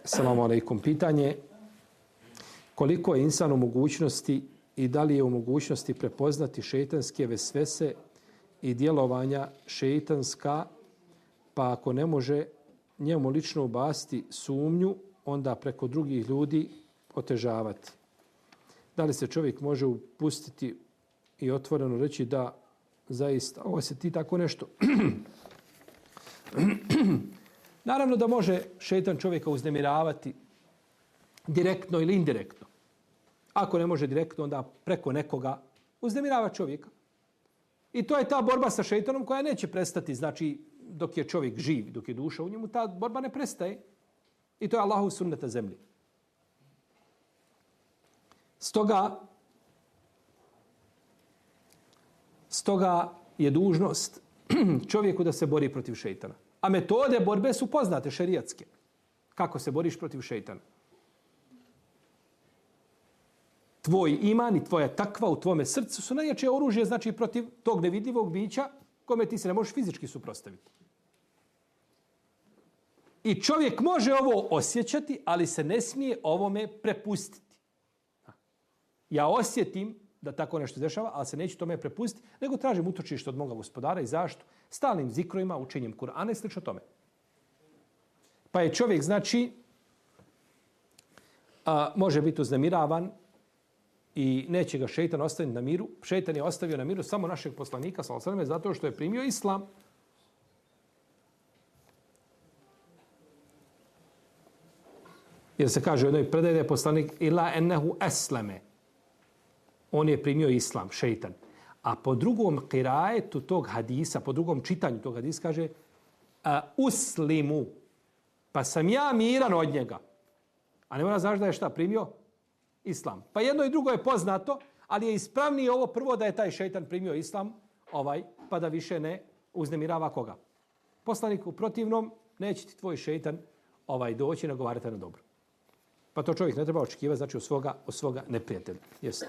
Assalamu alaikum. Pitanje koliko je insan u mogućnosti i da li je u mogućnosti prepoznati šeitanske vesvese i djelovanja šeitanska, pa ako ne može njemu lično ubaciti sumnju, onda preko drugih ljudi otežavati. Da li se čovjek može upustiti i otvoreno reći da zaista ovo se ti tako nešto. Naravno da može šeitan čovjeka uznemiravati direktno ili indirektno. Ako ne može direktno, onda preko nekoga uznemirava čovjeka. I to je ta borba sa šeitanom koja neće prestati. Znači, dok je čovjek živ, dok je duša u njemu, ta borba ne prestaje. I to je Allahov sunnet na zemlji. Stoga je dužnost čovjeku da se bori protiv šeitana. A metode borbe su poznate, šerijatske. Kako se boriš protiv šeitana? Tvoj iman i tvoja takva u tvome srcu su najjače oružje, znači protiv tog nevidljivog bića kome ti se ne možeš fizički suprotstaviti. I čovjek može ovo osjećati, ali se ne smije ovome prepustiti. Ja osjetim da tako nešto dešava, ali se neću tome prepustiti, nego tražim utočište od moga gospodara i zašto? Stalnim zikrojima, učenjem Kur'ana i slično tome. Pa je čovjek, znači, može biti uznemiravan i neće ga šeitan ostaviti na miru. Šeitan je ostavio na miru samo našeg poslanika, sallallahu alejhi ve sellem, zato što je primio islam. Jer se kaže u jednoj predaji da je poslanik ila ennehu esleme. On je primio islam, šeitan. A po drugom kirajetu tog hadisa, po drugom čitanju tog hadisa kaže uslimu. Pa sam ja miran od njega. A ne mora znaš da je šta primio? Islam. Pa jedno i drugo je poznato, ali je ispravnije ovo prvo da je taj šeitan primio islam, pa da više ne uznemirava koga. Poslanik u protivnom neće ti tvoj šeitan doći i nagovarati na dobro. Pa to čovjek ne treba očekivati, znači od svoga neprijatelja. Jeste.